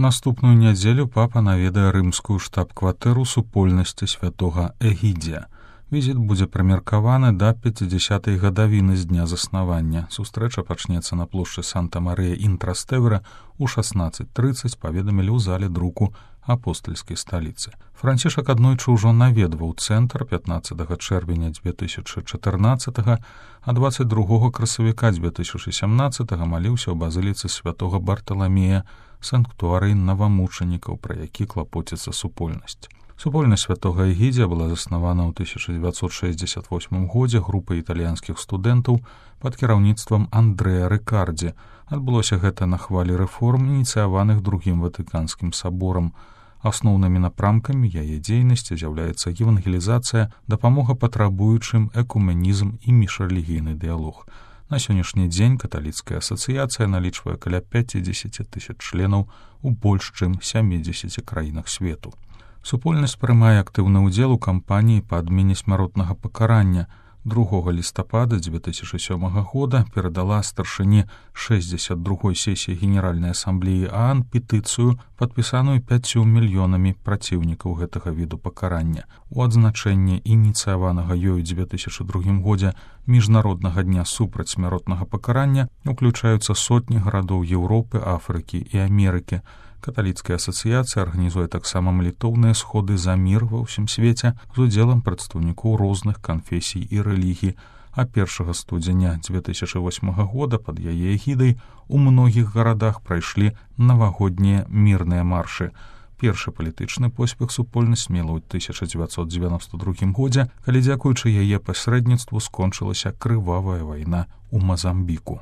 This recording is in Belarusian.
Наступную нядзелю папа наведае рымскую штаб-кватэру супольнасці святога Эгідзія. Візіт будзе прымеркаваны да 50-й гадавіны з дня заснавання. Сустрэча пачнецца на плошчы Санта-Марыя ін Траставера ў 16:30, паведамілі ў зале друку апостальскай сталіцы. Францішак аднойчы ўжо наведваў цэнтр 15 чэрвеня 2014, а 22 красавіка 2017 маліўся ў базыліцы святога Барталамея, санктуарый навамучанікаў, пра які клапоціцца супольнасць. Супольнасць святога Эгідзія была заснавана ў 1968 годзе групай італьянскіх студэнтаў пад кіраўніцтвам Андрэа Рыкардзі. Адбылося гэта на хвалі рэформ, ініцыяваных другім Ватыканскім саборам. Асноўнымі напрамкамі яе дзейнасці з'яўляецца евангелізацыя, дапамога патрабуючым, экуменізм і міжрэлігійны дыялог. На сённяшні дзень каталіцкая асацыяцыя налічвае каля 50 000 членаў у больш чым 70 краінах свету. Супольнасць прымае актыўны ўдзел у кампаніі па адмене смяротнага пакарання. 2 лістапада 2007 года перадала старшыні 62-й сесіі Генеральнай асамблеі ААН петыцыю, падпісаную 5 мільёнамі праціўнікаў гэтага віду пакарання. У адзначэнне ініцыяванага ёю 2002 годзе міжнароднага дня супраць смяротнага пакарання уключаюцца сотні гарадоў Еўропы, Афрыкі і Амерыкі. Каталіцкая асацыяцыя арганізуе таксама малітоўныя сходы за мір ва ўсім свеце з удзелам прадстаўнікоў розных канфесій і рэлігій, а 1 студзеня 2008 года пад яе эгідай у многіх гарадах прайшлі навагоднія мірныя маршы. Першы палітычны поспех супольнасць мела ў 1992 годзе, калі дзякуючы яе пасрэдніцтву скончылася крывавая вайна ў Мазамбіку.